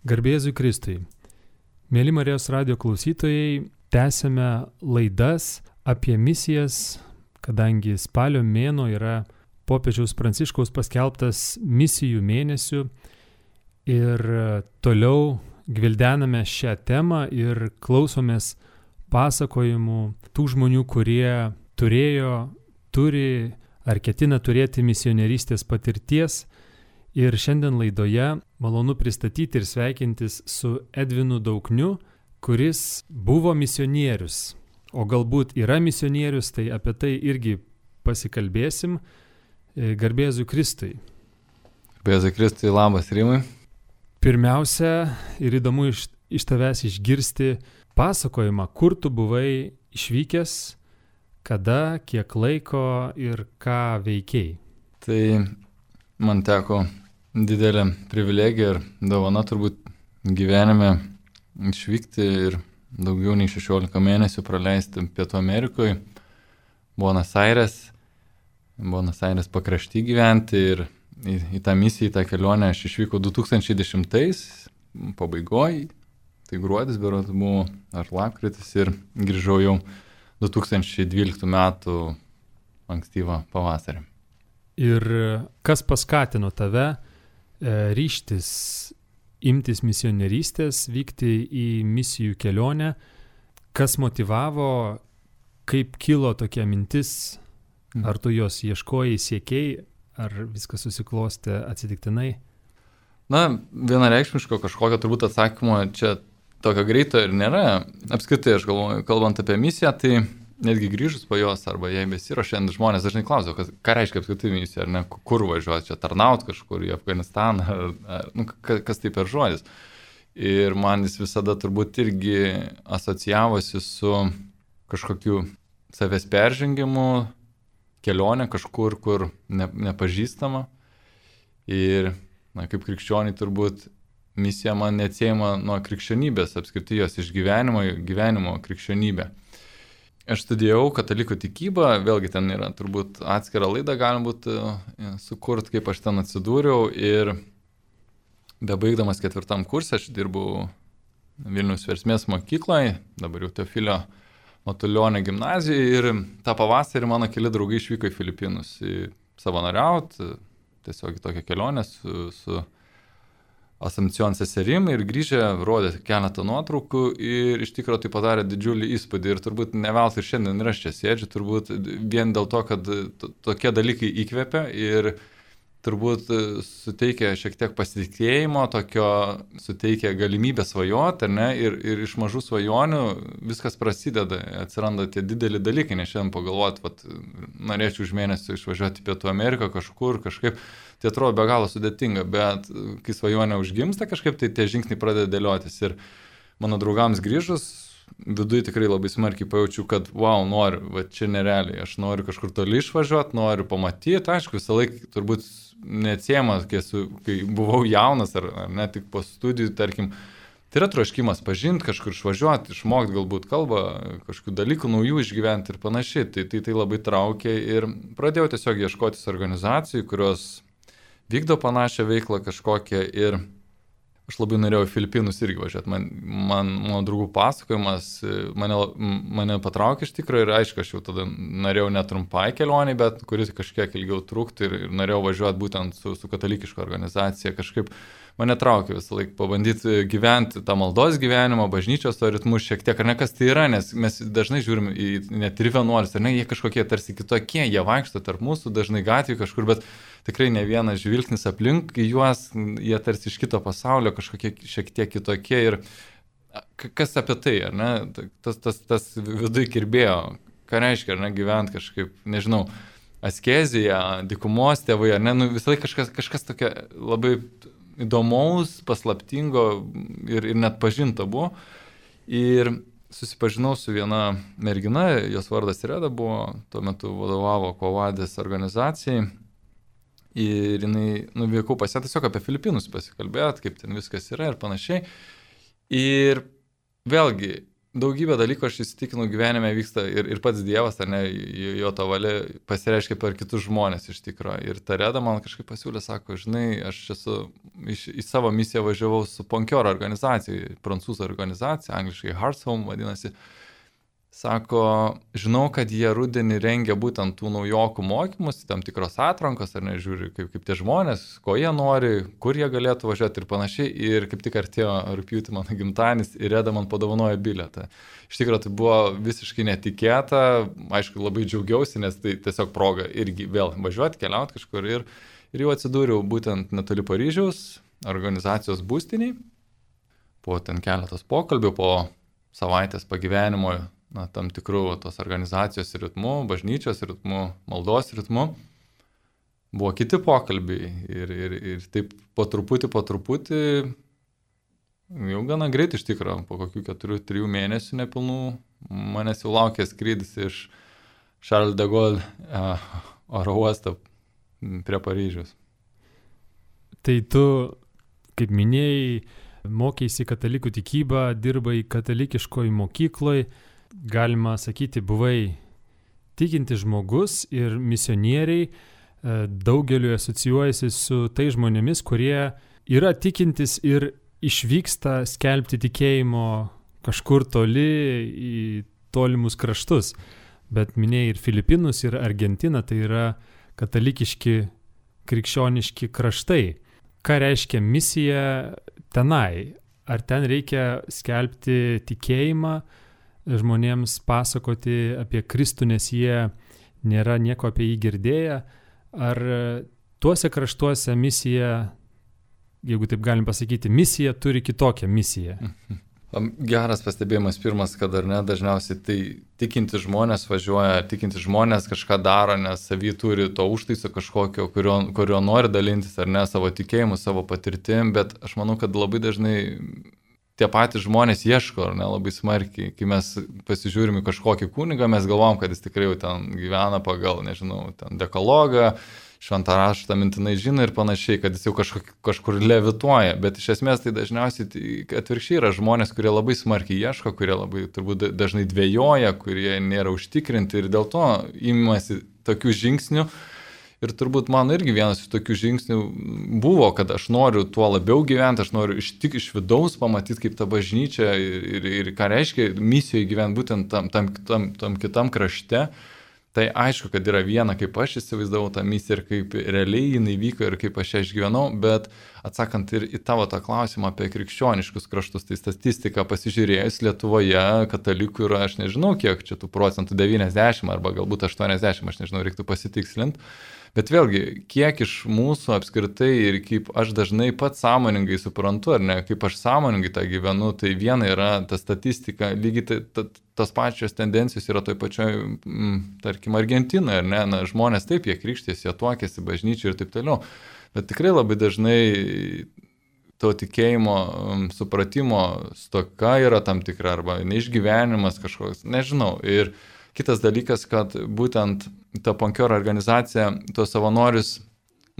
Garbė Jėzui Kristui. Mėly Marijos radio klausytojai, tęsiame laidas apie misijas, kadangi spalio mėnuo yra popiežiaus Pranciškaus paskelbtas misijų mėnesiu ir toliau gvildename šią temą ir klausomės pasakojimų tų žmonių, kurie turi ar ketina turėti misionierystės patirties. Ir šiandien laidoje malonu pristatyti ir sveikintis su Edvinu Daukniu, kuris buvo misionierius, o galbūt yra misionierius, tai apie tai irgi pasikalbėsim. Garbė Jėzui Kristui. Garbė Jėzui Kristui, labas Rimai. Pirmiausia, ir įdomu iš tavęs išgirsti pasakojimą, kur tu buvai išvykęs, kada, kiek laiko ir ką veikei. Tai man teko didelė privilegija ir dovana turbūt gyvenime išvykti ir daugiau nei 16 mėnesių praleisti Pietų Amerikoje, Buenos Aires pakrašty gyventi ir į tą misiją, į tą kelionę aš išvykau 2010 pabaigoje, tai gruodis berods buvo ar lapkritis ir grįžau jau 2012 metų ankstyvą pavasarį. Ir kas paskatino tave ryžtis imtis misionierystės, vykti į misijų kelionę? Kas motyvavo, kaip kilo tokia mintis? Ar tu jos ieškojai, siekėjai, ar viskas susiklostė atsitiktinai? Na, vienareikšmiško kažkokio turbūt atsakymo čia tokio greito ir nėra. Apskritai, aš galvoju, kalbant apie misiją, tai netgi grįžus po jos arba jei besiruošiant, žmonės dažnai klausia, ką reiškia apskritai misija, ar ne, kur važiuoti, čia tarnaut kažkur į Afganistaną, kas tai per žodis. Ir man jis visada turbūt irgi asocijavosi su kažkokiu savęs peržengimu, kelionė kažkur, kur nepažįstama. Ir kaip krikščioniai turbūt misija man neatsiejama nuo krikščionybės, apskritai jos gyvenimo krikščionybė. Aš studijavau katalikų tikybą, vėlgi ten yra turbūt atskira laida, galima būtų sukurt, kaip aš ten atsidūriau ir bebaigdamas 4 kursą aš dirbau Vilniaus Versmės mokykloje, dabar jau Teofilio Matulionio gimnazijoje ir tą pavasarį mano keli draugai išvyko į Filipinus savanoriauti, tiesiog į tokią kelionę su Asamcion seserim ir grįžę rodė keletą nuotraukų ir iš tikrųjų tai padarė didžiulį įspūdį ir turbūt ne veltui ir šiandien ir aš čia sėdžiu, turbūt vien dėl to, kad tokie dalykai įkvepia ir turbūt suteikia šiek tiek pasitikėjimo, suteikia galimybę svajoti, ar ne, ir iš mažų svajonių viskas prasideda, atsiranda tie dideli dalykai, nes šiandien pagalvoti, norėčiau už mėnesį išvažiuoti į Pietų Ameriką kažkaip, tai atrodo be galo sudėtinga, bet kai svajonė užgimsta kažkaip, tai tie žingsniai pradeda dėliotis ir mano draugams grįžus, viduje tikrai labai smarkiai pajaučiu, kad noriu, čia nerealiai, aš noriu kažkur toli išvažiuoti, noriu pamatyti, aišku, visą laiką turbūt neatsiejamas, kai buvau jaunas ar ne tik po studijų, tarkim, tai yra troškimas pažinti, kažkur išvažiuoti, išmokti galbūt kalbą, kažkokių dalykų naujų išgyventi ir panašiai, tai labai traukė ir pradėjau tiesiog ieškotis organizacijų, kurios vykdo panašią veiklą kažkokią ir aš labai norėjau į Filipinus irgi važiuoti. Mano draugų pasakojimas mane patraukė iš tikrųjų ir aišku, aš jau tada norėjau netrumpai kelionį, bet kuris kažkiek ilgiau trukti ir norėjau važiuoti būtent su katalikiška organizacija. Kažkaip mane traukė visą laiką pabandyti gyventi tą maldos gyvenimą, bažnyčios to ritmus šiek tiek, ar ne kas tai yra, nes mes dažnai žiūrim į net ir vienuolis, ar ne, jie kažkokie tarsi kitokie, jie vaikšto tarp mūsų, dažnai gatvėje kažkur, bet tikrai ne vienas žvilgsnis aplink juos, jie tarsi iš kito pasaulio kažkokie šiek tiek kitokie ir kas apie tai, ar ne, tas viduje kirbėjo, ką reiškia, ar ne, gyventi kažkaip, nežinau, askezija, dykumos tėvai, ar ne, visą laiką kažkas tokia labai įdomaus, paslaptingo ir net pažinta buvo. Ir susipažinau su viena mergina, jos vardas Reda buvo, tuo metu vadovavo Kovadės organizacijai. Ir jinai nuvykau pas ją tiesiog apie Filipinus pasikalbėti, kaip ten viskas yra ir panašiai. Ir vėlgi, daugybė dalykų aš įsitikinau gyvenime vyksta ir pats Dievas, ar ne, jo ta valia pasireiškia per kitus žmonės iš tikrųjų. Ir ta Reda man kažkaip pasiūlė, sako, žinai, aš į savo misiją važiavau su Ponkioro organizacija, prancūzų organizacija, angliškai Hearts Home vadinasi. Sako, žinau, kad jie rudenį rengia būtent tų naujokų mokymus, tam tikros atrankos, ar nežiūri, kaip tie žmonės, ko jie nori, kur jie galėtų važiuoti ir panašiai. Ir kaip tik artėjo rugpjūtį mano gimtadienis ir Reda man padovanojo bilietą. Iš tikrųjų, tai buvo visiškai netikėta, aišku, labai džiaugiausi, nes tai tiesiog proga irgi vėl važiuoti, keliauti kažkur. Ir jau atsidūriau būtent netoli Paryžiaus organizacijos būstiniai. Po ten keletos pokalbių, po savaitės pagyvenimo, tam tikrų tos organizacijos ritmų, bažnyčios ritmų, maldos ritmų, buvo kiti pokalbiai ir taip po truputį, jau gana greit iš tikrųjų, po kokių 4-3 mėnesių nepilnų, manęs jau laukė skrydis iš Charles de Gaulle oro uosto prie Paryžiaus. Tai tu, kaip minėjai, mokėsi katalikų tikybą, dirbai katalikiškoje mokykloje, galima sakyti, buvai tikintis žmogus ir misionieriai daugeliu asocijuojasi su tai žmonėmis, kurie yra tikintis ir išvyksta skelbti tikėjimo kažkur toli į tolimus kraštus. Bet minėjai ir Filipinus, ir Argentiną, tai yra katalikiški, krikščioniški kraštai. Ką reiškia misija tenai? Ar ten reikia skelbti tikėjimą, žmonėms pasakoti apie Kristų, nes jie nėra nieko apie jį girdėję? Ar tuose kraštuose misija, jeigu taip galim pasakyti, misija turi kitokią misiją? Geras pastebėjimas pirmas, kad ar ne, dažniausiai tai tikinti žmonės važiuoja, tikinti žmonės kažką daro, nes savy turi to užtaiso kažkokio, kurio nori dalintis, ar ne, savo tikėjimu, savo patirtim, bet aš manau, kad labai dažnai tie patys žmonės ieško, ar ne, labai smarkiai. Kai mes pasižiūrime kažkokį kunigą, mes galvom, kad jis tikrai jau ten gyvena pagal, nežinau, ten dekalogą, šventą raštą mintinai žino ir panašiai, kad jis jau kažkur levituoja. Bet iš esmės tai dažniausiai atvirkščiai yra žmonės, kurie labai smarkiai ieško, kurie labai turbūt dažnai dvejoja, kurie nėra užtikrinti ir dėl to imasi tokių žingsnių. Ir turbūt man irgi vienas iš tokių žingsnių buvo, kad aš noriu tuo labiau gyventi, aš noriu iš vidaus pamatyti, kaip ta bažnyčia ir ką reiškia misijoje gyventi būtent tam kitam krašte. Tai aišku, kad yra viena, kaip aš įsivaizdavau tą misiją ir kaip realiai jinai vyko ir kaip aš ją išgyvenau, bet atsakant ir į tavo tą klausimą apie krikščioniškus kraštus, tai statistika pasižiūrėjus Lietuvoje katalikų yra, aš nežinau kiek čia tų procentų, 90 arba galbūt 80, aš nežinau, reiktų pasitikslinti. Bet vėlgi, kiek iš mūsų apskritai ir kaip aš dažnai pats sąmoningai suprantu, ar ne, kaip aš sąmoningai tą gyvenu, tai viena yra ta statistika, lygiai tas pačios tendencijos yra toj pačioj, tarkim, Argentinoje, ar ne, na, žmonės taip, jie krikštėsi, jie tuokėsi bažnyčiai ir taip toliau, bet tikrai labai dažnai to tikėjimo, supratimo stoka yra tam tikra, arba neišgyvenimas kažkoks, nežinau, ir kitas dalykas, kad būtent ta Ponkioro organizacija, tuos savanorius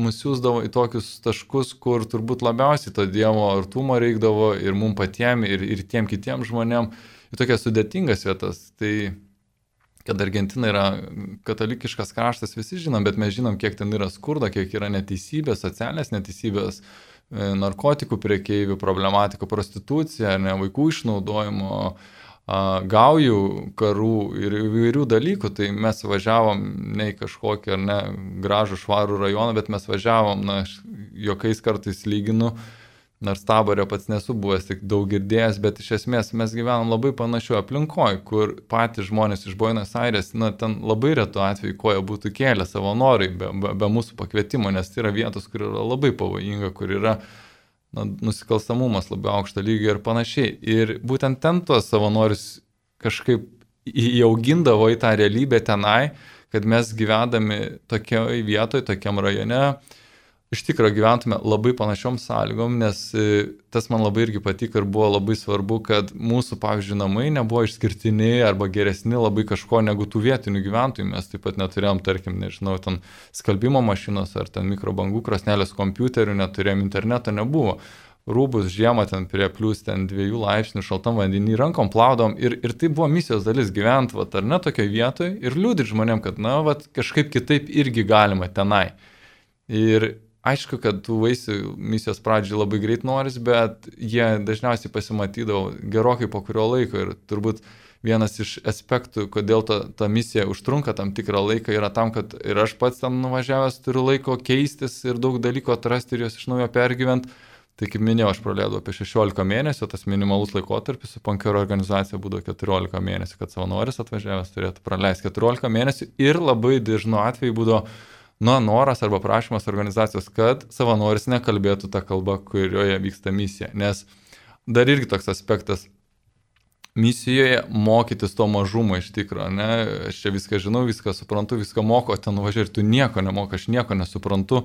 mus siūsdavo į tokius taškus, kur turbūt labiausiai to Dievo artumo reikdavo ir mums patiem, ir tiem kitiem žmonėm, į tokias sudėtingas vietas. Tai, kad Argentina yra katalikiškas kraštas, visi žinom, bet mes žinom, kiek ten yra skurdo, kiek yra neteisybės, socialinės neteisybės, narkotikų prekeivių, problematikų, prostitucija, ne, vaikų išnaudojimo, gaujų karų ir įvairių dalykų, tai mes važiavom ne į kažkokį ar ne gražų švarų rajoną, bet mes važiavom, na, jokiais kartais lyginu, nors Taborė pats nesu buvęs, tik daug girdėjęs, bet iš esmės mes gyvenam labai panašiu aplinkoje, kur patys žmonės iš Buenos Aires, na, ten labai retų atveju koja būtų kėlę savanoriai be mūsų pakvietimo, nes tai yra vietos, kur yra labai pavojinga, kur yra nusikalstamumas labai aukšto lygio ir panašiai. Ir būtent ten tuos savanorius kažkaip įaugindavo į tą realybę tenai, kad mes gyvendami tokioje vietoje, tokiam rajone, iš tikrųjų gyventume labai panašiom sąlygom, nes tas man labai irgi patiko ir buvo labai svarbu, kad mūsų, pavyzdžiui, namai nebuvo išskirtiniai arba geresni labai kažko negu tų vietinių gyventojų. Mes taip pat neturėjom, tarkim, nežinau, ten skalbimo mašinos ar ten mikrobangų krosnelės kompiuterių, neturėjom interneto, nebuvo. rūbus žiemą ten prie plius ten 2 laipsnių šaltam vandenį rankom plaudom ir tai buvo misijos dalis gyventi, vat, ar ne, tokioje vietoje ir liūdėti žmonėm, kad, na, vat, kažkaip kitaip irgi galima tenai. Ir aišku, kad tų vaisių misijos pradžiai labai greit noris, bet jie dažniausiai pasimatydavo gerokai po kurio laiko ir turbūt vienas iš aspektų, kodėl ta misija užtrunka tam tikrą laiką, yra tam, kad ir aš pats ten nuvažiavęs turiu laiko keistis ir daug dalykų atrasti ir juos iš naujo pergyventi. Tai kaip minėjau, aš praleidau apie 16 mėnesių, tas minimalus laikotarpis su Ponkero organizacija būdavo 14 mėnesių, kad savanoris atvažiavęs turėtų praleisti 14 mėnesių ir labai dažnu atveju būdavo noras arba prašymas organizacijos, kad savanoris nekalbėtų tą kalbą, kurioje vyksta misija. Nes dar irgi toks aspektas, misijoje mokytis to mažumo iš tikro, ne? Aš čia viską žinau, viską suprantu, viską moku, ten nuvažiuoju ir tu nieko nemoka, aš nieko nesuprantu.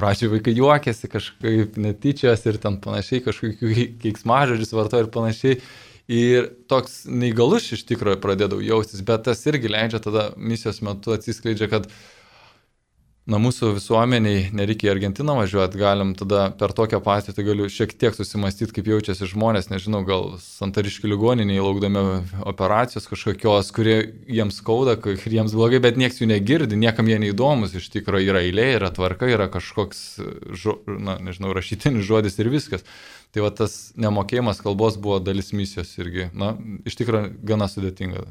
Pradžiai vaikai juokėsi, kažkaip netyčias ir ten panašiai, kažkokių keiksmažodžius vartoja ir panašiai. Ir toks neįgalus iš tikrųjų pradėdavau jaustis, bet tas irgi leidžia tada misijos metu atsiskleidžia, kad mūsų visuomeniai nereikia į Argentiną važiuoti, galim tada per tokią patirtį galiu šiek tiek susimastyti, kaip jaučiasi žmonės, nežinau, gal Santariškių ligoniniai laukdami operacijos kažkokios, kurie jiems skauda, ir jiems blogai, bet nieks jų negirdi, niekam jie neįdomus, iš tikrųjų yra eilė, yra tvarka, yra kažkoks, rašytinis žodis ir viskas. Tai va tas nemokėjimas kalbos buvo dalis misijos irgi, iš tikrųjų gana sudėtinga.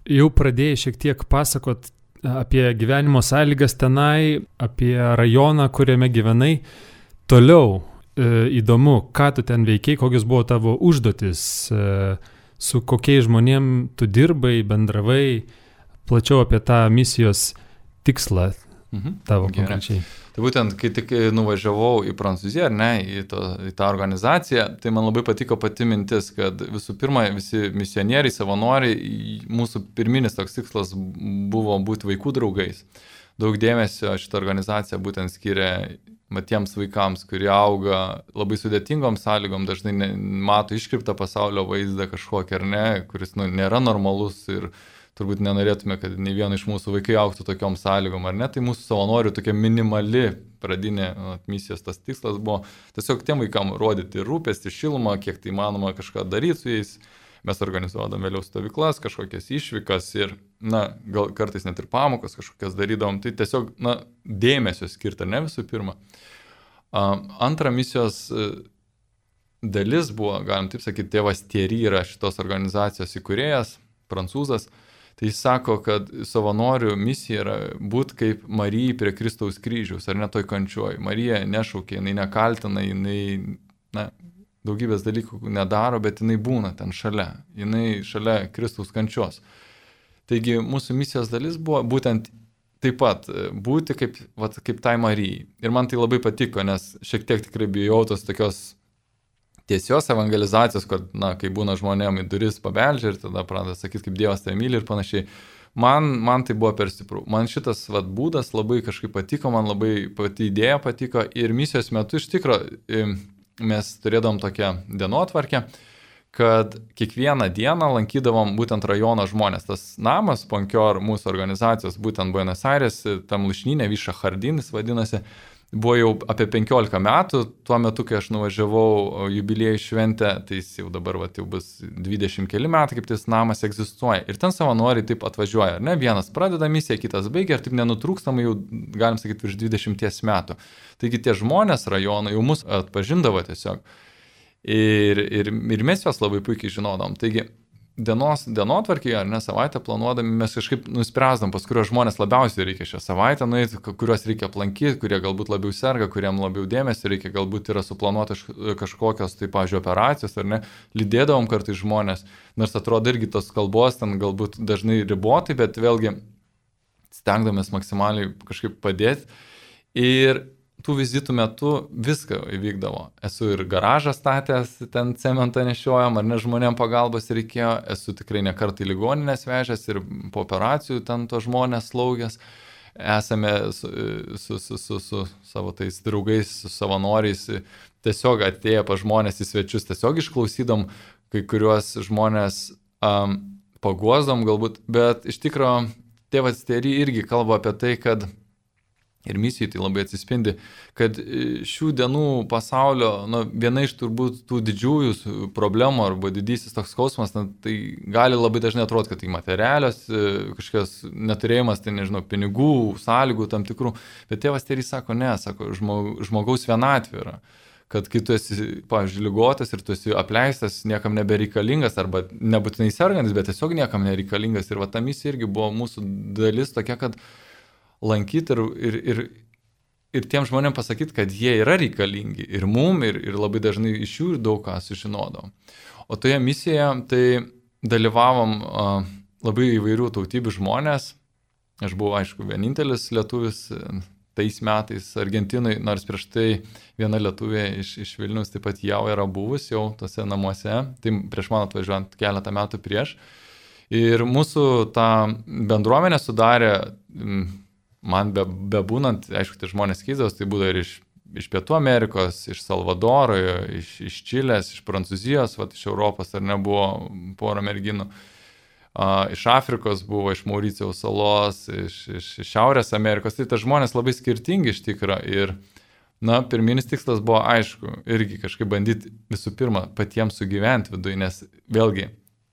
Jau pradėjai šiek tiek pasakot apie gyvenimo sąlygas tenai, apie rajoną, kuriame gyvenai. Toliau įdomu, ką tu ten veikiai, kokios buvo tavo užduotis, su kokiais žmonėm tu dirbai, bendravai, plačiau apie tą misijos tikslą tavo konkrečiai. Tai būtent, kai tik nuvažiavau į Prancūziją, ar ne, į tą organizaciją, tai man labai patiko pati mintis, kad visų pirma, visi misionieriai, savanoriai, mūsų pirminis toks tikslas buvo būti vaikų draugais. Daug dėmesio šitą organizaciją būtent skiria tiems vaikams, kurie auga labai sudėtingom sąlygom, dažnai mato iškreiptą pasaulio vaizdą kažkokį ar ne, kuris nėra normalus ir turbūt nenorėtume, kad nei viena iš mūsų vaikai augtų tokiom sąlygom, ar ne? Tai mūsų savanorių tokia minimali pradinė misijos tas tikslas buvo tiesiog tiem vaikam rodyti rūpestį, šilumą, kiek tai įmanoma kažką daryti su jais. Mes organizuodam vėliau stovyklas, kažkokias išvykas ir, gal kartais net ir pamokas kažkokias darydavom. Tai tiesiog, dėmesio skirta, ne visų pirma. Antra misijos dalis buvo, galim taip sakyti, tėvas Thierry yra šitos organizacijos įkūrėjas, prancūzas. Tai jis sako, kad savanorių misija yra būti kaip Marijai prie Kristaus kryžiaus, ar ne toj kančioj. Marija nešaukia, jinai nekaltina, jinai daugybės dalykų nedaro, bet jinai būna ten šalia. Jinai šalia Kristaus kančios. Taigi mūsų misijos dalis buvo būtent taip pat būti kaip tai Marijai. Ir man tai labai patiko, nes šiek tiek tikrai bijau tos tokios tiesios evangelizacijos, kad, kai būna žmonėm į duris pabeldžia ir tada pradeda sakyti, kaip Dievas tai myli ir panašiai. Man tai buvo per stiprų. Man šitas būdas labai kažkaip patiko, man labai pati idėja patiko ir misijos metu iš tikro mes turėdavom tokią dienotvarkę, kad kiekvieną dieną lankydavom būtent rajono žmonės. Tas namas, Ponkior, mūsų organizacijos, būtent Buenos Aires, tam Lušnyne, Viša Hardinis vadinasi, buvo jau apie 15 metų, tuo metu, kai aš nuvažiavau jubiliejų šventę, tai jis jau dabar jau bus 20 keli metai, kaip tas namas egzistuoja. Ir ten savanoriai taip atvažiuoja, ar ne? Vienas pradeda misiją, kitas baigia ir taip nenutrūkstamai jau, galim sakyti, virš 20 metų. Taigi tie žmonės rajono jau mus atpažindavo tiesiog. Ir mes juos labai puikiai žinodom. Taigi dienotvarkėje, ar ne, savaitę planuodami, mes kažkaip nuspręsdam, pas kurios žmonės labiausiai reikia šią savaitę nueiti, kuriuos reikia aplankyti, kurie galbūt labiau serga, kuriem labiau dėmesio reikia, galbūt yra suplanuotas kažkokios, tai, pavyzdžiui, operacijos, ar ne, lydėdavom kartais žmonės, nors atrodo irgi tos kalbos ten galbūt dažnai ribotai, bet vėlgi stengdamės maksimaliai kažkaip padėti. Ir tų vizitų metu viską įvykdavo. Esu ir garažą statęs, ten cementą nešiojam, ar ne žmonėm pagalbos reikėjo, esu tikrai ne kartą į ligoninės vežęs ir po operacijų ten to žmonės slaugęs. Esame su savo tais draugais, su savanoriais, tiesiog atėję pa žmonės į svečius, tiesiog išklausydom kai kuriuos žmonės paguosdom galbūt, bet iš tikro tėvas Thierry irgi kalba apie tai, kad ir misijai tai labai atsispindi, kad šių dienų pasaulio, viena iš turbūt tų didžiųjų problemų arba didysis toks skausmas, tai gali labai dažnai atrodyti, kad tai materialios, kažkokios neturėjimas, tai nežinau, pinigų, sąlygų tam tikrų, bet tėvas Terys sako, ne, sako, žmogaus vienatvė yra. Kad kai tu esi, pavyzdžiui, ligotas ir tu esi apleistas, niekam nebereikalingas, arba nebūtinai sergantis, bet tiesiog niekam nereikalingas. Ir va ta misija irgi buvo mūsų dalis tokia, kad lankyti ir tiem žmonėm pasakyti, kad jie yra reikalingi ir mum, ir labai dažnai iš jų daug ką sužinodom. O toje misijoje tai dalyvavom labai įvairių tautybių žmonės. Aš buvau, aišku, vienintelis lietuvis tais metais Argentinai, nors prieš tai viena lietuvė iš Vilniaus taip pat jau yra buvus jau tose namuose, tai prieš man atvažiuojant keletą metų prieš. Ir mūsų tą bendruomenę sudarė, man bebūnant, aišku, tai žmonės keisdavos, tai būdavo ir iš Pietų Amerikos, iš Salvadoro, iš Čilės, iš Prancūzijos, iš Europos, ar nebuvo porą merginų. Iš Afrikos buvo, iš Mauricijaus salos, iš Šiaurės Amerikos, tai tas žmonės labai skirtingi iš tikrųjų. Ir, pirminis tikslas buvo, aišku, irgi kažkaip bandyti visų pirma patiems sugyventi viduje, nes vėlgi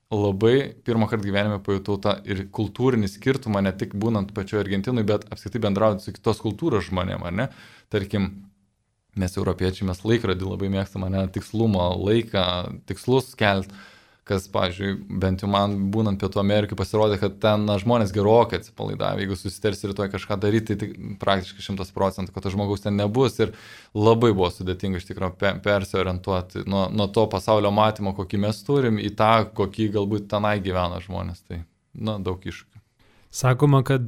labai pirmą kartą gyvenime pajutau tą ir kultūrinį skirtumą, ne tik būnant pačioje Argentinui, bet apskritai bendrauti su kitos kultūros žmonėm, ar ne? Tarkim, mes europiečiai, mes laikrodį labai mėgstam, ne, tikslumo, laiką, tikslus kelti. Kas, pavyzdžiui, bent jau man būnant Pietų Amerikai pasirodė, kad ten žmonės gerokai atsipalaidavę, jeigu susitarsi rytoj kažką daryti, tai praktiškai 100%, kad to žmogaus ten nebus ir labai buvo sudėtinga iš tikrųjų persiorientuoti nuo to pasaulio matymo, kokį mes turim, į tą, kokį galbūt tenai gyvena žmonės. Tai, daug iššūkių. Sakoma, kad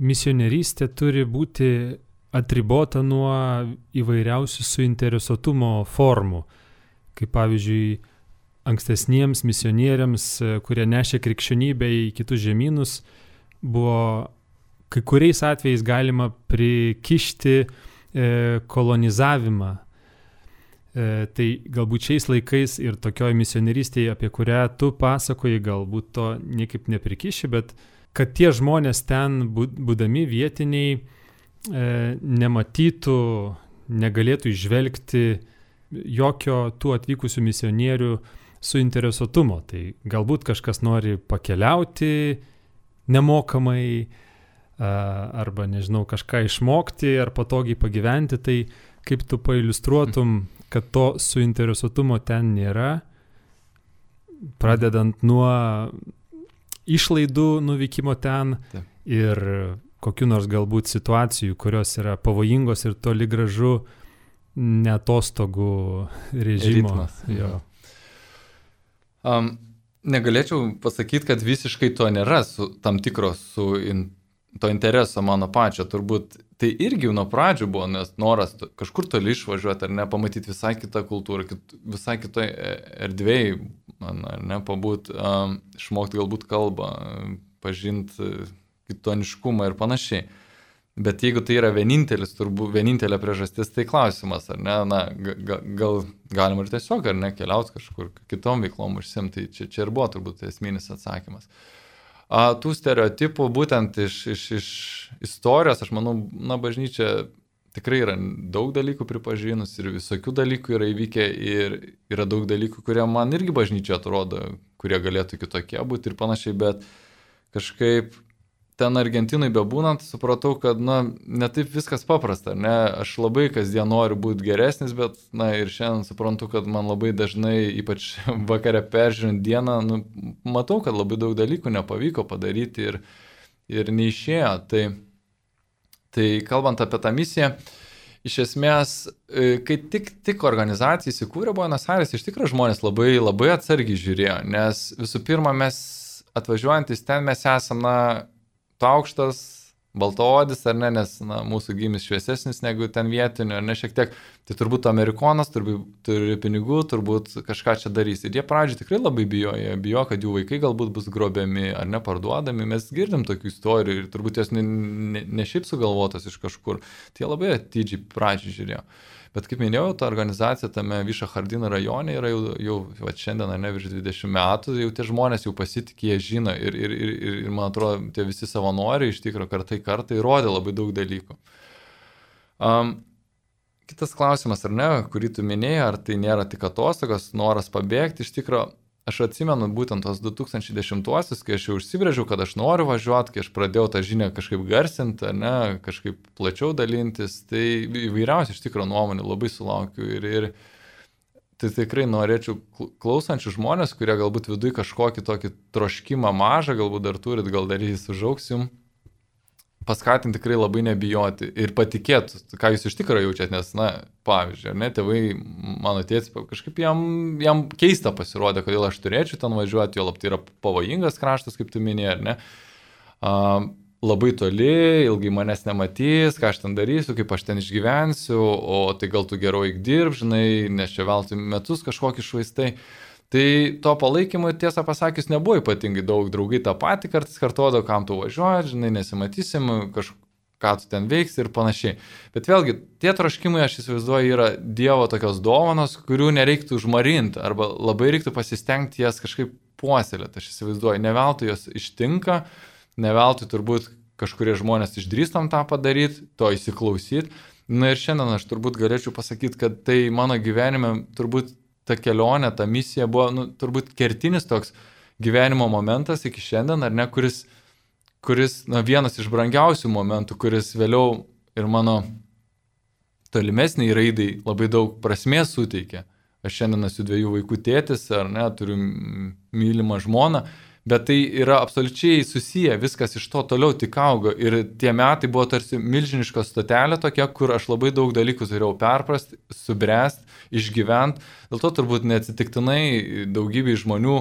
misionierystė turi būti atribota nuo įvairiausių suinteresuotumo formų. Kaip pavyzdžiui, ankstesniems misionieriams, kurie nešė krikščionybę į kitus žemynus, buvo kai kuriais atvejais galima prikišti kolonizavimą. Tai galbūt šiais laikais ir tokioj misionierystėje, apie kurią tu pasakoji, galbūt to niekaip neprikiši, bet kad tie žmonės ten, būdami vietiniai, nematytų, negalėtų išvelgti jokio tų atvykusių misionierių suinteresuotumo. Tai galbūt kažkas nori pakeliauti nemokamai, arba, nežinau, kažką išmokti ar patogiai pagyventi. Tai kaip tu pailiustruotum, kad to suinteresuotumo ten nėra, pradedant nuo išlaidų nuvykimo ten ir kokių nors galbūt situacijų, kurios yra pavojingos ir toli gražu neatostogų režimo. Jo. Negalėčiau pasakyti, kad visiškai to nėra tam tikros to intereso mano pačio. Turbūt tai irgi nuo pradžių buvo, nes noras kažkur toli išvažiuoti ar ne, pamatyti visai kitą kultūrą, visai kitoj erdvėj, ar ne, pabūt, išmokti galbūt kalbą, pažinti kitoniškumą ir panašiai. Bet jeigu tai yra vienintelė priežastis, tai klausimas, ar ne, gal galima ir tiesiog, ar ne, keliauti kažkur kitom veiklom užsimti, tai čia ir buvo turbūt esminis atsakymas. Tų stereotipų būtent iš istorijos, aš manau, bažnyčia tikrai yra daug dalykų pripažinus ir visokių dalykų yra įvykę ir yra daug dalykų, kurie man irgi bažnyčia atrodo, kurie galėtų kitokie būti ir panašiai, bet kažkaip ten Argentinai bebūnant, supratau, kad, ne taip viskas paprasta, ne, aš labai kasdien noriu būti geresnis, bet, ir šiandien suprantu, kad man labai dažnai, ypač vakare peržiūrint dieną, matau, kad labai daug dalykų nepavyko padaryti ir neišėjo. Tai kalbant apie tą misiją, iš esmės, kai tik organizacija įsikūrė Buenos Aires, iš tikrųjų žmonės labai, labai atsargiai žiūrėjo, nes visų pirma, mes atvažiuojantis ten mes esam, tu aukštas, baltaodis, ar ne, nes mūsų gimis šviesesnis negu ten vietinių, ar ne, šiek tiek, tai turbūt amerikonas, turi pinigų, turbūt kažką čia darys. Ir jie pradžioj tikrai labai bijo, kad jų vaikai galbūt bus grobiami ar neparduodami. Mes girdim tokių istorijų ir turbūt jos ne šiaip sugalvotos iš kažkur. Tai jie labai atidžiai pradžioj žiūrėjo. Bet kaip minėjau, ta organizacija tame Vyšo Hardino rajone yra jau šiandien, ne, virš 20 metų, jau tie žmonės jau pasitikė, jie žino ir man atrodo, tie visi savanoriai iš tikrųjų kartai įrodė labai daug dalykų. Kitas klausimas, ar ne, kurį tu minėjai, ar tai nėra tik atostogos, noras pabėgti, iš tikrųjų, aš atsimenu būtent tos 2010-uosius, kai aš jau užsibrėžiau, kad aš noriu važiuoti, kai aš pradėjau tą žinią kažkaip garsinti, ne, kažkaip plačiau dalintis, tai įvairiausiai iš tikrųjų nuomonių labai sulaukiu ir tai tikrai norėčiau klausančių žmonės, kurie galbūt viduje kažkokį tokį troškimą mažą, galbūt dar turit, gal dar jis užaugs jums, paskatinti tikrai labai nebijoti ir patikėti, ką jūs iš tikrųjų jaučiat, nes, na, pavyzdžiui, ne, tėvai, mano tėtis, kažkaip jam keista pasirodė, kodėl aš turėčiau ten važiuoti, jo tai yra pavojingas kraštas, kaip tu minėjai, ar ne, labai toli, ilgai manęs nematys, ką aš ten darysiu, kaip aš ten išgyvensiu, o tai gal tu geriau eik dirb, žinai, nes čia veltui metus kažkokį švaistai. Tai to palaikymo, tiesą pasakius, nebuvo ypatingai daug, draugai tą patį kartais kartuodavo, kam tu važiuoji, žinai, nesimatysim, ką tu ten veiksi ir panašiai. Bet vėlgi, tie troškimai, aš įsivaizduoju, yra Dievo tokios dovanos, kurių nereiktų užmarinti, arba labai reiktų pasistengti jas kažkaip puoselėti. Aš įsivaizduoju, ne veltui jos ištinka, ne veltui turbūt kažkurie žmonės išdrįstam tą padaryti, to įsiklausyti. Na ir šiandien aš turbūt galėčiau pasakyti, kad tai mano gyvenime turbūt ta kelionė, ta misija buvo, turbūt kertinis toks gyvenimo momentas iki šiandien, ar ne, kuris vienas iš brangiausių momentų, kuris vėliau ir mano tolimesniai raidai labai daug prasmės suteikė. Aš šiandien esu 2 vaikų tėtis, ar ne, turiu mylimą žmoną, bet tai yra absoliučiai susiję, viskas iš to toliau tik augo ir tie metai buvo tarsi milžiniška stotelė tokia, kur aš labai daug dalykų turėjau perprasti, subręsti, išgyventi. Dėl to turbūt neatsitiktinai daugybei žmonių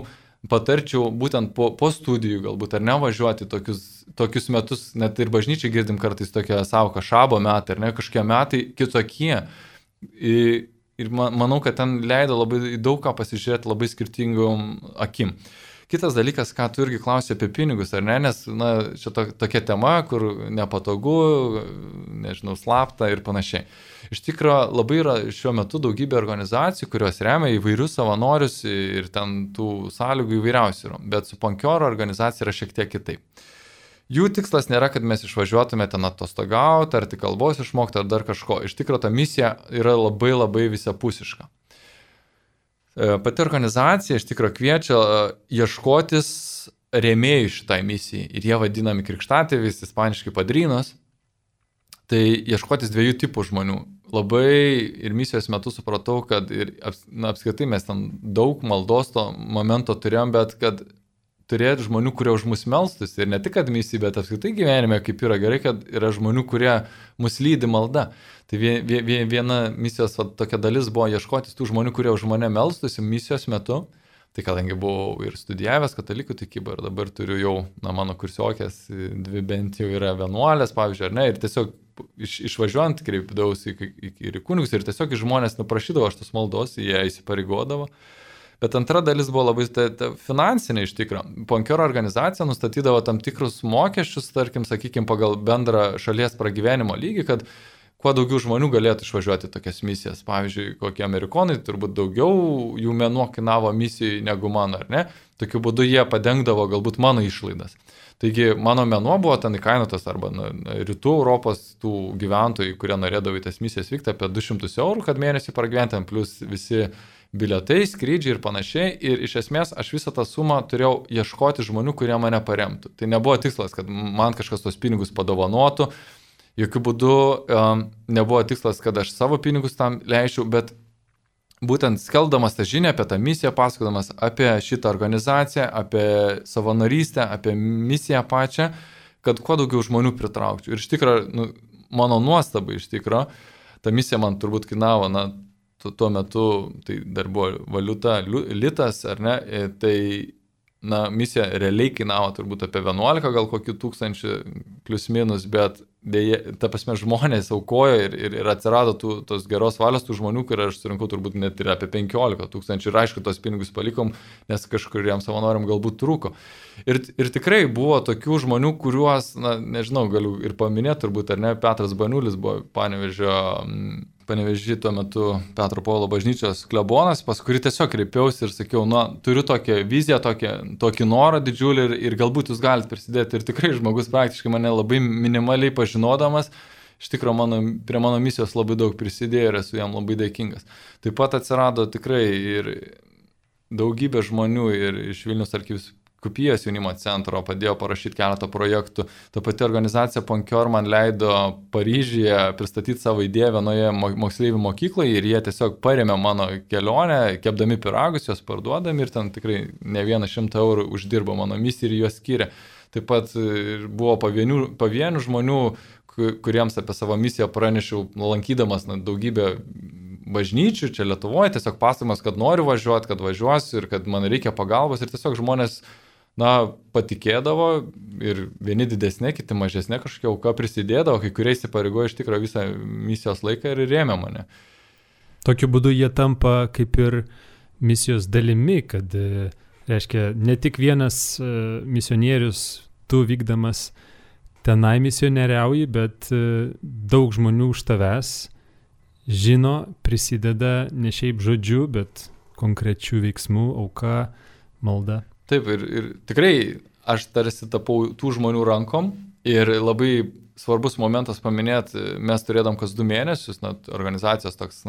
patarčiau būtent po studijų galbūt ar nevažiuoti tokius metus, net ir bažnyčiai girdim kartais tokią savoką šabo metai, ar ne, kažkokie metai kitokie. Ir manau, kad ten leido labai daug ką pasižiūrėti labai skirtingom akim. Kitas dalykas, ką tu irgi klausai apie pinigus, ar ne, nes čia tokia tema, kur nepatogu, nežinau, slapta ir panašiai. Iš tikrųjų, labai yra šiuo metu daugybė organizacijų, kurios remia įvairius savanorius ir ten tų sąlygų įvairiausių yra, bet su Ponkioro organizacija yra šiek tiek kitaip. Jų tikslas nėra, kad mes išvažiuotume ten atostogauti, ar tik kalbos išmokti, ar dar kažko. Iš tikrųjų, ta misija yra labai labai visapusiška. Pati organizacija iš tikrųjų kviečia ieškotis rėmėjų šitai misijai ir jie vadinami krikštatėviais, ispaniškai padrinos. Tai ieškotis 2 tipų žmonių. Labai ir misijos metu supratau, kad apskritai mes ten daug maldos to momento turėjom, bet kad turėti žmonių, kurie už mus melstus ir ne tik kad misijai, bet apskritai gyvenime, kaip yra gerai, kad yra žmonių, kurie mus lydi malda. Tai viena misijos tokia dalis buvo ieškotis tų žmonių, kurie už mane melstusi misijos metu. Tai kadangi buvau ir studijavęs katalikų tikybą ir dabar turiu jau, mano kursiokės 2 bent jau yra vienuolės, pavyzdžiui, ar ne, ir tiesiog išvažiuojant kreipdavausi ir į kunigus ir tiesiog žmonės nuprašydavo aš tos maldos, jie įsipareigodavo. Bet antra dalis buvo labai finansinė iš tikrųjų. Ponkioro organizacija nustatydavo tam tikrus mokesčius, tarkim, sakykime, pagal bendrą šalies pragyvenimo lygį, kad kuo daugiau žmonių galėtų išvažiuoti tokias misijas. Pavyzdžiui, kokie amerikonai, turbūt daugiau jų mėnuo kainavo misijai negu mano, ar ne? Tokiu būdu jie padengdavo galbūt mano išlaidas. Taigi mano mėnuo buvo ten įkainotas arba rytų Europos tų gyventojų, kurie norėdavo į tas misijas vykti apie 200 eurų, kad mėnesį pragyventi, plus visi bilietai, skrydžiai ir panašiai. Ir iš esmės aš visą tą sumą turėjau ieškoti žmonių, kurie mane paremtų. Tai nebuvo tikslas, kad man kažkas tos pinigus padovanotų. Jokių būdų nebuvo tikslas, kad aš savo pinigus tam leisčiau, bet būtent skeldamas tą žinią apie tą misiją, pasakodamas apie šitą organizaciją, apie savanorystę, apie misiją pačią, kad kuo daugiau žmonių pritraukčiau. Ir iš tikrųjų, mano nuostabai iš tikrųjų, ta misija man turbūt kainavo, tuo metu tai dar buvo valiuta litas, ar ne, tai misija realiai kainavo turbūt apie 11 gal kokių tūkstančių plius minus, bet dėja, ta prasme, žmonės aukojo ir atsirado tos geros valios tų žmonių, kur aš surinkau turbūt net ir apie 15 000 ir aišku, tos pinigus palikom, nes kažkuriem savanoriam galbūt trūko. Ir tikrai buvo tokių žmonių, kuriuos, na, nežinau, galiu ir paminėti turbūt, ar ne, Petras Baniulis buvo Panevėžy tuo metu Petro Povilo bažnyčios klebonas, pas kurį tiesiog kreipiausi ir sakiau, na, turiu tokią viziją, tokį norą didžiulį ir galbūt jūs galite prisidėti. Ir tikrai žmogus praktiškai mane labai minimaliai pažinodamas, iš tikrųjų prie mano misijos labai daug prisidėjo ir esu jam labai dėkingas. Taip pat atsirado tikrai ir daugybė žmonių ir iš Vilniaus arkivyskupijos jaunimo centro padėjo parašyti keletą projektų. Ta pati organizacija Ponkior man leido Paryžiuje pristatyti savo idėją vienoje moksleivių mokykloje ir jie tiesiog parėmė mano kelionę, kepdami pyragus, juos parduodami ir ten tikrai ne 100 eurų uždirbo mano misiją ir juos skyrė. Taip pat buvo pavienių žmonių, kuriems apie savo misiją pranešiau, lankydamas daugybę bažnyčių čia Lietuvoje, tiesiog pasakojimas, kad noriu važiuoti, kad važiuosiu ir kad man reikia pagalbos ir tiesiog žmonės patikėdavo ir vieni didesnė, kiti mažesnė kažkokia auka prisidėdavo, kai kurie įsipareigojo iš tikrųjų visą misijos laiką ir rėmė mane. Tokiu būdu jie tampa kaip ir misijos dalimi, kad, reiškia, ne tik vienas misionierius tu vykdamas tenai misionieriauji, bet daug žmonių už tavęs žino, prisideda ne šiaip žodžiu, bet konkrečių veiksmų, auka, malda. Taip, ir tikrai aš tarsi tapau tų žmonių rankom ir labai svarbus momentas paminėti, mes turėdam kas 2 mėnesius, organizacijos toks,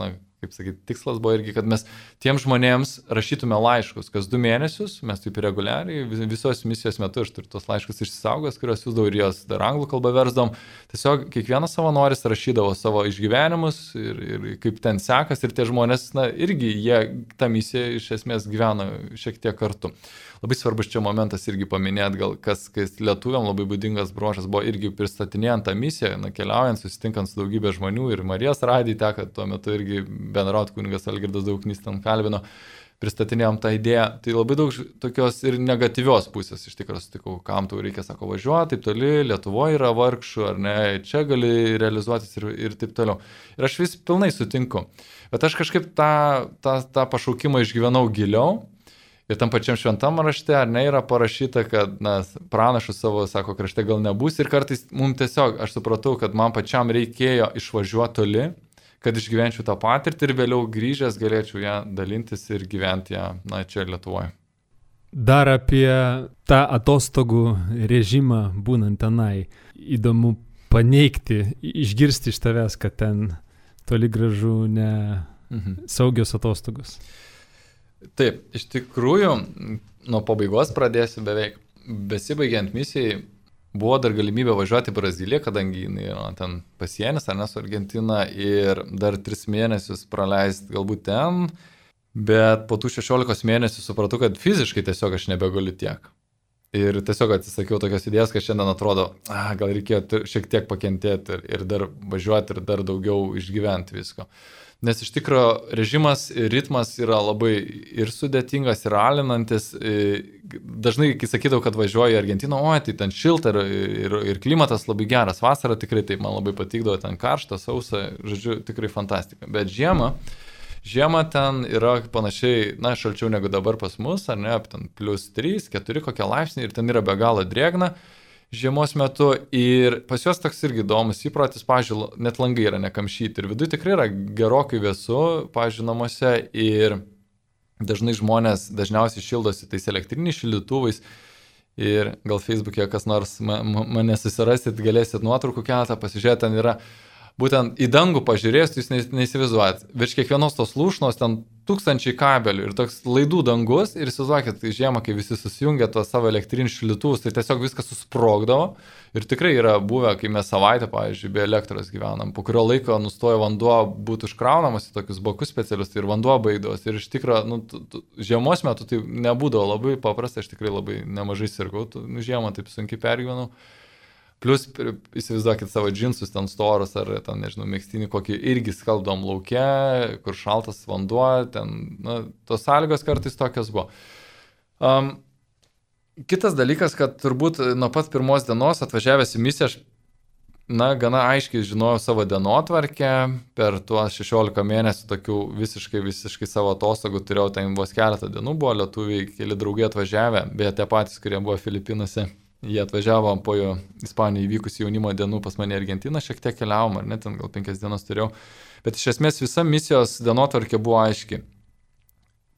kaip sakyti, tikslas buvo irgi, kad mes tiem žmonėms rašytume laiškus kas 2 mėnesius, mes taip reguliariai, visos misijos metu aš turiu tos laiškus išsisaugęs, kuriuos siūsdavau ir jos dar anglų kalbą versdavom. Tiesiog kiekvienas savanoris rašydavo savo išgyvenimus ir kaip ten sekas ir tie žmonės, irgi jie tą misiją iš esmės gyvena šiek tiek kartu. Labai svarbus čia momentas irgi paminėti, gal kas lietuviam labai būdingas bruožas buvo irgi pristatinėjant tą misiją, keliaujant, susitinkant su daugybė žmonių ir Marijos radijai teko tuo metu irgi bendrauti, kunigas Algirdas Dauknys ten kalbino, pristatinėjom tą idėją. Tai labai daug tokios ir negatyvios pusės iš tikrųjų sutikau, kam tau reikia, sako, važiuoti taip toli, Lietuvoje yra vargšų, ar ne, čia gali realizuotis ir taip toliau. Ir aš vis pilnai sutinku. Bet aš kažkaip tą pašaukimą išgyvenau giliau. Ir tam pačiam šventam rašte, ar ne, yra parašyta, kad pranašus savo, sako, krašte gal nebus. Ir kartais mums tiesiog, aš supratau, kad man pačiam reikėjo išvažiuoti toli, kad išgyvenčiau tą patirtį ir vėliau grįžęs galėčiau ją dalintis ir gyventi ją, čia Lietuvoje. Dar apie tą atostogų režimą būnant tenai. Įdomu paneigti, išgirsti iš tavęs, kad ten toli gražu ne saugios atostogos. Taip, iš tikrųjų, nuo pabaigos pradėsiu beveik. Besibaigiant misijai buvo dar galimybė važiuoti į Braziliją, kadangi jinai yra ten pasienis, ar ne, su Argentina, ir dar 3 mėnesius praleisti galbūt ten, bet po tų 16 mėnesių supratau, kad fiziškai tiesiog aš nebegaliu tiek. Ir tiesiog atsisakiau tokios idėjos, kad šiandien atrodo, gal reikėjo šiek tiek pakentėti ir dar važiuoti ir dar daugiau išgyventi visko. Nes iš tikrųjų režimas ir ritmas yra labai ir sudėtingas, ir alinantis. Dažnai, kai sakydavau, kad važiuoju į Argentiną, tai ten šilta ir klimatas labai geras. Vasara tikrai taip man labai patikdavo, ten karšta, sausa, žodžiu, tikrai fantastika. Bet žiema ten yra panašiai, šalčiau negu dabar pas mus, ar ne, ten +3, 4 kokie laipsniai ir ten yra be galo drėgna žiemos metu ir pas juos toks irgi įdomus įprotis, pavyzdžiui, net langai yra nekamšyti ir viduje tikrai yra gerokai vėsu, pavyzdžiui, namuose ir dažnai žmonės dažniausiai šildosi tais elektriniais šildytuvais ir gal Facebook'e kas nors mane susirasit, galėsit nuotraukų keletą pasižiūrėti, ten yra būtent į dangų pažiūrėjus, jūs neįsivaizduojat. Virš kiekvienos tos lūšnos ten 1000 kabelių ir toks laidų dangus ir įsivaizduokit, žiemą, kai visi susijungia tuos savo elektrinius šildytuvus, tai tiesiog viskas susprogdavo ir tikrai yra buvę, kai mes savaitę, pavyzdžiui, be elektros gyvenam, po kurio laiko nustojo vanduo būti užkraunamas į tokius bakus specialius ir vanduo baigdavos ir iš tikrųjų, žiemos metu tai nebūdavo labai paprasta, aš tikrai labai nemažai sirgau, žiemą taip sunkiai pergyvenau. Plus, įsivaizduokit savo džinsus ten storus ar ten, nežinau, megztinį kokį irgi skalbdom lauke, kur šaltas vanduo, ten, tos sąlygos kartais tokios buvo. Kitas dalykas, kad turbūt nuo pat pirmos dienos atvažiavęs į misiją, aš gana aiškiai žinojau savo dienotvarkę, per tuos 16 mėnesių tokių visiškai savo atostogų turėjau, ten vos keletą dienų buvo lietuviai, keli draugai atvažiavę, beje tie patys, kurie buvo Filipinuose, jie atvažiavo po Ispanijoje įvykusių jaunimo dienų pas mane Argentiną, šiek tiek keliavom, ar ne, ten gal 5 dienas turėjau, bet iš esmės visa misijos dienotvarkė buvo aiški.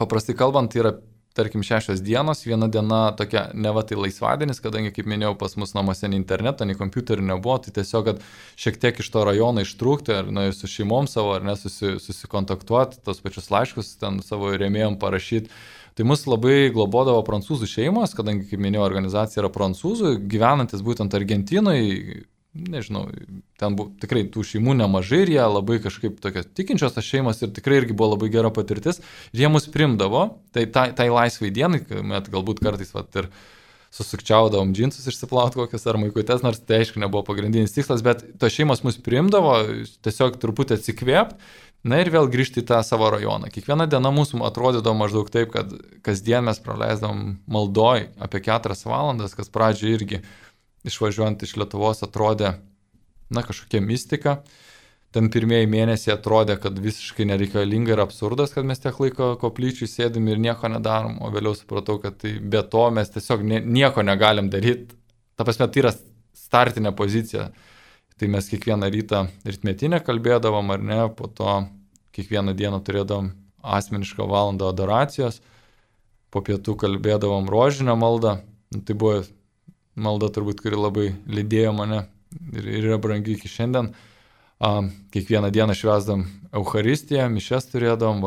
Paprastai kalbant, tai yra tarkim 6 dienos, viena diena tokia neva tai laisvadienis, kadangi, kaip minėjau, pas mus namuose nei interneto, nei kompiuterių nebuvo, tai tiesiog, kad šiek tiek iš to rajono ištrūkti, ar ir su šeimom savo, ar ne, susikontaktuoti, tos pačius laiškus ten savo rėmėjom parašyti. Tai mus labai globodavo prancūzų šeimos, kadangi, kaip minėjau, organizacija yra prancūzų, gyvenantis būtent Argentinoje, nežinau, ten buvo tikrai tų šeimų nemažai ir jie labai kažkaip tokios tikinčios tas šeimos ir tikrai irgi buvo labai gera patirtis. Ir jie mus primdavo, tai laisvai dienai, met galbūt kartais ir susukčiaudavom džinsus išsiplauti kokias ar maikutes, nors tai aišku nebuvo pagrindinis tikslas, bet tos šeimos mus primdavo, tiesiog truputį atsikvėpti, na ir vėl grįžti į tą savo rajoną. Kiekviena diena mūsų atrodydavo maždaug taip, kad kasdien mes praleisdavom maldoj apie 4 valandas, kas pradžioje irgi išvažiuojant iš Lietuvos atrodė, kažkokia mistika. Ten pirmieji mėnesiai atrodė, kad visiškai nereikalinga ir absurdas, kad mes tiek laiko koplyčiui sėdim ir nieko nedarom, o vėliau supratau, kad tai be to mes tiesiog nieko negalim daryti. Ta prasme, tai yra startinė pozicija. Tai mes kiekvieną rytą rytmetinę kalbėdavom, ar ne, po to kiekvieną dieną turėdavom asmenišką valandą adoracijos, po pietų kalbėdavom rožinę maldą. Tai buvo malda turbūt, kuri labai lydėjo mane ir yra brangi iki šiandien. Kiekvieną dieną švęsdam Eucharistiją, mišes turėdavom,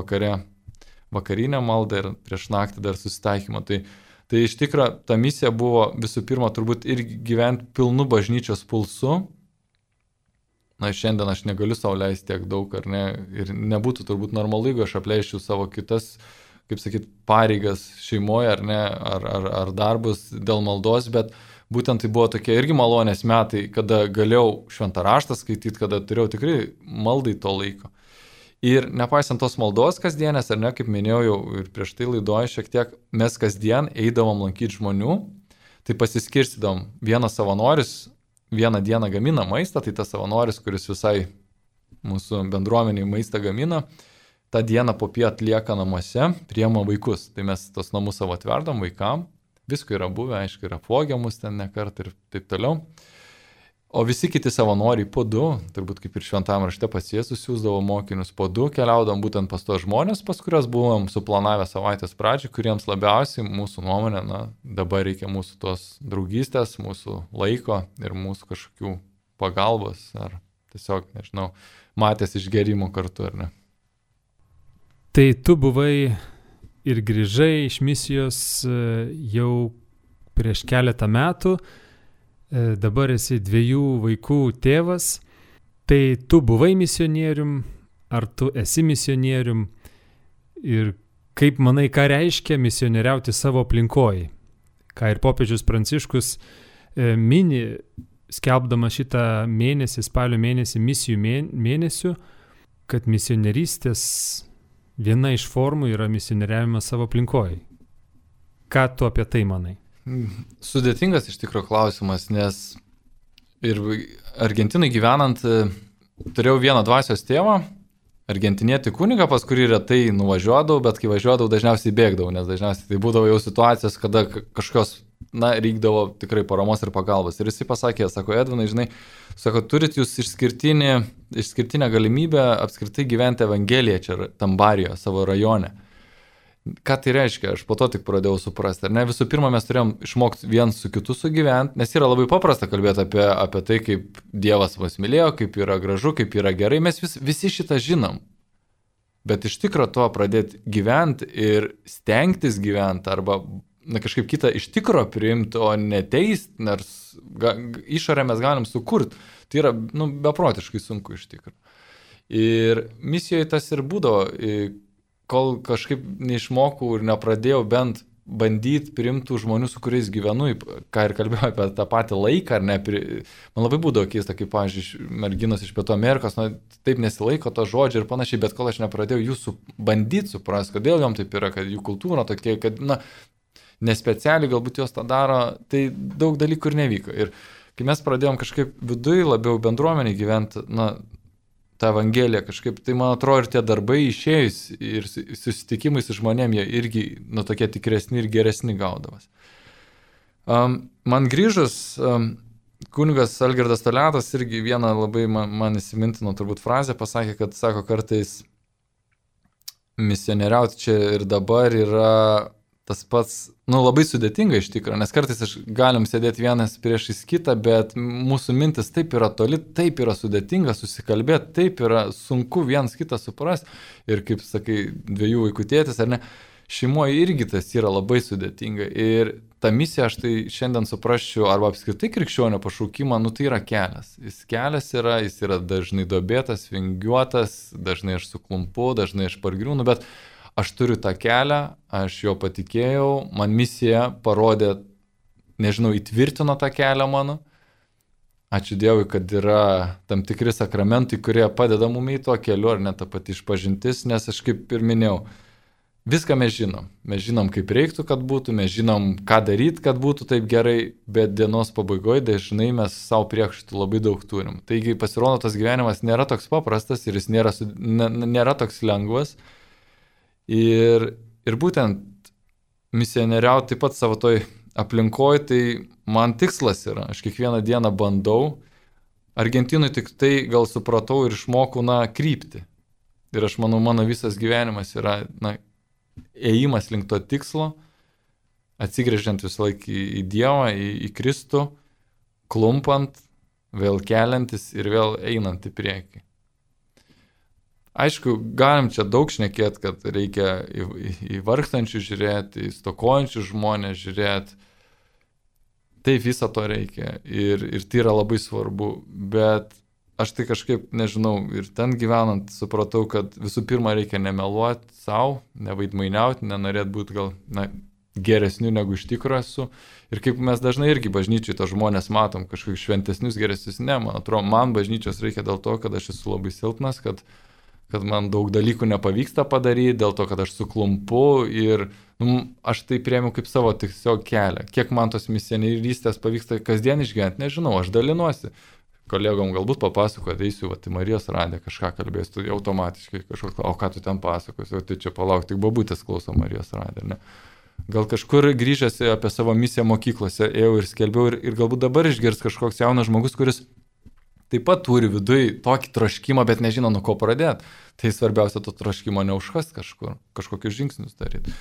vakarinę maldą ir prieš naktį dar susitaikymą. Tai iš tikrųjų ta misija buvo visų pirma turbūt ir gyventi pilnu bažnyčios pulsu. Šiandien aš negaliu sau leisti tiek daug, ar ne, ir nebūtų turbūt normalu, jeigu aš apleisčiau savo kitas, kaip sakyt, pareigas šeimoje, ar ne, ar darbus dėl maldos, bet būtent tai buvo tokie irgi malonės metai, kada galėjau šventą raštą skaityti, kada turėjau tikrai maldai to laiko. Ir nepaisant tos maldos kasdienės, ar ne, kaip minėjau jau ir prieš tai laidoje šiek tiek, mes kasdien eidavom lankyti žmonių, tai pasiskirstydom. Vienas savanoris vieną dieną gamina maistą, tai tas savanoris, kuris visai mūsų bendruomeniai maistą gamina, tą dieną popiet lieka namuose, priema vaikus. Tai mes tos namus savo atverdam vaikam. Visko yra buvę, aišku, yra apvogiamus ten nekart ir taip toliau. O visi kiti savanoriai po 2, turbūt kaip ir šventame rašte pas Jėzus siųsdavo mokinius po 2, keliaudam būtent pas tos žmonės, pas kurios buvom suplanavę savaitės pradžią, kuriems labiausiai mūsų nuomonė, dabar reikia mūsų tos draugystės, mūsų laiko ir mūsų kažkokių pagalbos ar tiesiog, nežinau, matęs išgerimo kartu, ar ne. Tai tu buvai ir grįžai iš misijos jau prieš keletą metų, dabar esi 2 vaikų tėvas, tai tu buvai misionierium, ar tu esi misionierium ir kaip manai, ką reiškia misionieriauti savo aplinkoje, ką ir popiežius Pranciškus mini, skelbdama šitą mėnesį, spalio mėnesį, misijų mėnesių, kad misionierystės viena iš formų yra misionieriavimas savo aplinkoje. Ką tu apie tai manai? Sudėtingas iš tikrųjų klausimas, nes ir Argentinai gyvenant turėjau vieną dvasios tėvą, argentinietį kunigą, pas kurį retai nuvažiuodavau, bet kai važiuodavau dažniausiai bėgdavau, nes dažniausiai tai būdavo jau situacijos, kada kažkokios, reikdavo tikrai paramos ir pagalbos. Ir jisai pasakė, sako, Edvinai, žinai, sako, turit jūs išskirtinę galimybę apskritai gyventi Evangeliją čia Tambarijoje, savo rajone. Ką tai reiškia? Aš po to tik pradėjau suprasti. Ar ne? Visų pirma, mes turėjom išmokti viens su kitu sugyventi, nes yra labai paprasta kalbėti apie tai, kaip Dievas mus mylėjo, kaip yra gražu, kaip yra gerai. Mes visi šitą žinom. Bet iš tikro to pradėti gyventi ir stengtis gyventi arba kažkaip kitą iš tikro priimti, o neteisti, nors išorę mes galim sukurti. Tai yra beprotiškai sunku iš tikro. Ir misijoje tas ir būdavo, kol kažkaip neišmokau ir nepradėjau bent bandyti priimtų žmonių, su kuriais gyvenu, ką ir kalbėjau apie tą patį laiką, ar ne, man labai būdavo keista, kaip, pavyzdžiui, merginos iš Pietų Amerikos, taip nesilaiko to žodžio ir panašiai, bet kol aš nepradėjau jūsų bandyti suprasti, kodėl jom taip yra, kad jų kultūra tokia, kad, nespecialiai galbūt jos tą daro, tai daug dalykų ir nevyko. Ir kai mes pradėjom kažkaip viduje labiau bendruomenį gyventi, tą Evangeliją kažkaip, tai man atrodo ir tie darbai išėjus ir susitikimai su žmonėm, jie irgi, tokie tikresni ir geresni gaudavas. Man grįžus, kunigas Algirdas Toliatas irgi vieną labai man įsimintino turbūt frazę pasakė, kad sako kartais misionieriauti čia ir dabar yra tas pats, labai sudėtinga iš tikrųjų, nes kartais galim sėdėti vienas priešais kitą, bet mūsų mintis taip yra toli, taip yra sudėtinga susikalbėti, taip yra sunku vienas kitą suprasti ir kaip sakai, 2 vaikų tėtis ar ne, šeimoje irgi tas yra labai sudėtinga ir ta misija, aš tai šiandien suprasčiau, arba apskritai krikščionio pašaukimą, tai yra kelias. Jis yra dažnai duobėtas, vingiuotas, dažnai aš suklumpu, dažnai aš pargriūnu, bet aš turiu tą kelią, aš jo patikėjau, man misija parodė, įtvirtino tą kelią mano. Ačiū Dievui, kad yra tam tikri sakramentai, kurie padeda mum į tuo keliu, ar net ta pati išpažintis, nes aš kaip ir minėjau, viską mes žinom. Mes žinom, kaip reiktų, kad būtų, mes žinom, ką daryti, kad būtų taip gerai, bet dienos pabaigoje dažnai mes savo priekaištų labai daug turim. Taigi pasirodo, tas gyvenimas nėra toks paprastas ir jis nėra toks lengvas. Ir būtent misionieriauti taip pat savo toj aplinkoje, tai man tikslas yra. Aš kiekvieną dieną bandau. Argentinui tik tai gal supratau ir išmokau, kryptį. Ir aš manau, mano visas gyvenimas yra, ėjimas link to tikslo, atsigręžiant visą laiką į Dievą, į Kristų, klumpant, vėl keliantis ir vėl einant į priekį. Aišku, galim čia daug šnekėti, kad reikia į vargstančių žiūrėti, į stokojančių žmonės žiūrėti. Taip, viso to reikia ir tai yra labai svarbu, bet aš tai kažkaip, nežinau, ir ten gyvenant supratau, kad visų pirma reikia nemeluoti savo, nevaidmainiauti, nenorėti būti gal geresnių negu iš tikrųjų esu. Ir kaip mes dažnai irgi bažnyčiai to žmonės matom, kažkokius šventesnius, geresnius, man atrodo, man bažnyčios reikia dėl to, kad aš esu labai silpnas, kad man daug dalykų nepavyksta padaryti, dėl to, kad aš suklumpu ir aš tai priėmiau kaip savo tiesiog kelią. Kiek man tos misionierystės pavyksta kasdien išgyventi, nežinau, aš dalinuosi. Kolegom galbūt papasako, ateisiu, į Marijos radiją kažką kalbėsiu, tu automatiškai kažkoks, o ką tu ten pasakosi, tai čia palauk, tik babutės klauso Marijos radiją, ne? Gal kažkur grįžęs apie savo misiją mokyklose ėjau ir skelbiau ir galbūt dabar išgirs kažkoks jaunas žmogus, kuris taip pat turi viduje tokį troškimą, bet nežino, nuo ko pradėti. Tai svarbiausia to troškimo neužkast kažkur, kažkokius žingsnius daryti.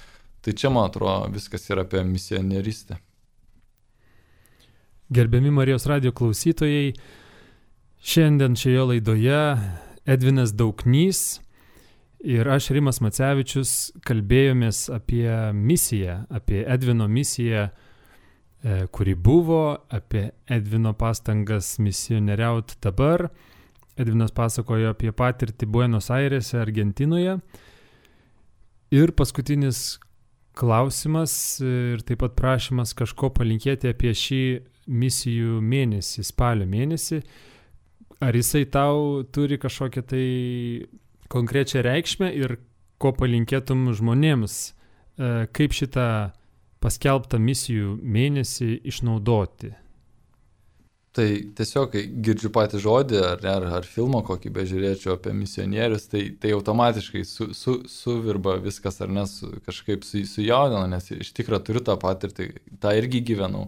Tai čia, man atrodo, viskas yra apie misionierystę. Gerbiami Marijos radijo klausytojai, šiandien šioje laidoje Edvinas Dauknys ir aš, Rimas Macevičius, kalbėjomės apie misiją, apie Edvino misiją, kuri buvo, apie Edvino pastangas misionieriauti dabar. Edvinas pasakojo apie patirtį Buenos Airėse, Argentinoje. Ir paskutinis klausimas ir taip pat prašymas kažko palinkėti apie šį misijų mėnesį, spalio mėnesį. Ar jisai tau turi kažkokią tai konkrečią reikšmę ir ko palinkėtum žmonėms, kaip šitą paskelbtą misijų mėnesį išnaudoti? Tai tiesiog, kai girdžiu patį žodį ar filmo kokį bežiūrėčiau apie misionierius, tai automatiškai suvirba viskas, ar ne, kažkaip sujaudina, nes iš tikrųjų turiu tą patirtį, tą irgi gyvenau.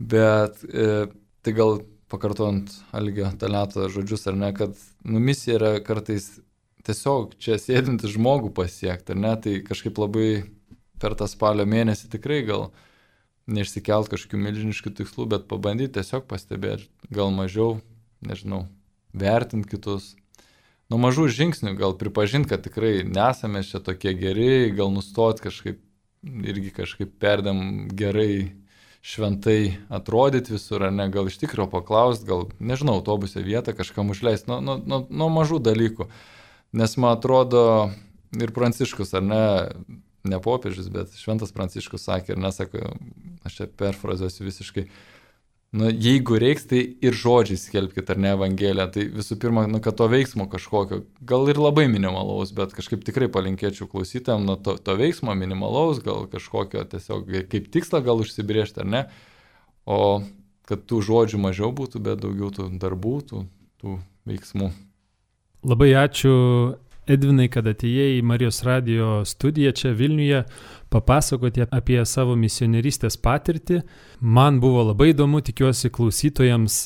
Bet tai gal pakartojant Algio Toliato žodžius, ar ne, kad misija yra kartais tiesiog čia sėdinti žmogų pasiekti, ar ne, tai kažkaip labai per tą spalio mėnesį tikrai gal neišsikelt kažkokių milžiniškų tikslų, bet pabandyti tiesiog pastebėti, gal mažiau, nežinau, vertinti kitus. Nuo mažų žingsnių gal pripažinti, kad tikrai nesame čia tokie geri, gal nustoti kažkaip perdėm gerai, šventai atrodyti visur, ar ne, gal iš tikrųjų paklausti, gal, nežinau, autobuse vietą kažkam užleisti, nuo mažų dalykų. Nes man atrodo, ir Pranciškus, ar ne popiežius, bet šventas Pranciškus sakė, ir nesako, aš čia perfrazuosiu visiškai, jeigu reiks, tai ir žodžiai skelbkit, ar ne, Evangeliją, tai visų pirma, kad to veiksmo kažkokio, gal ir labai minimalaus, bet kažkaip tikrai palinkėčiau klausytojam to veiksmo minimalaus, gal kažkokio tiesiog kaip tikslą gal užsibrėžti, ar ne, o kad tų žodžių mažiau būtų, bet daugiau tų darbų, tų veiksmų. Labai ačiū, Edvinai, kad atėjai į Marijos radijo studiją čia Vilniuje papasakoti apie savo misionierystės patirtį. Man buvo labai įdomu, tikiuosi klausytojams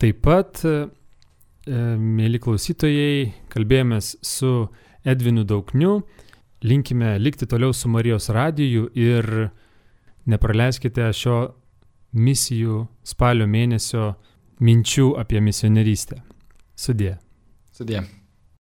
taip pat. Mėly klausytojai, kalbėjomės su Edvinu Daukniu. Linkime likti toliau su Marijos radiju ir nepraleiskite šio misijų spalio mėnesio minčių apie misionierystę. Sudie. Sudie.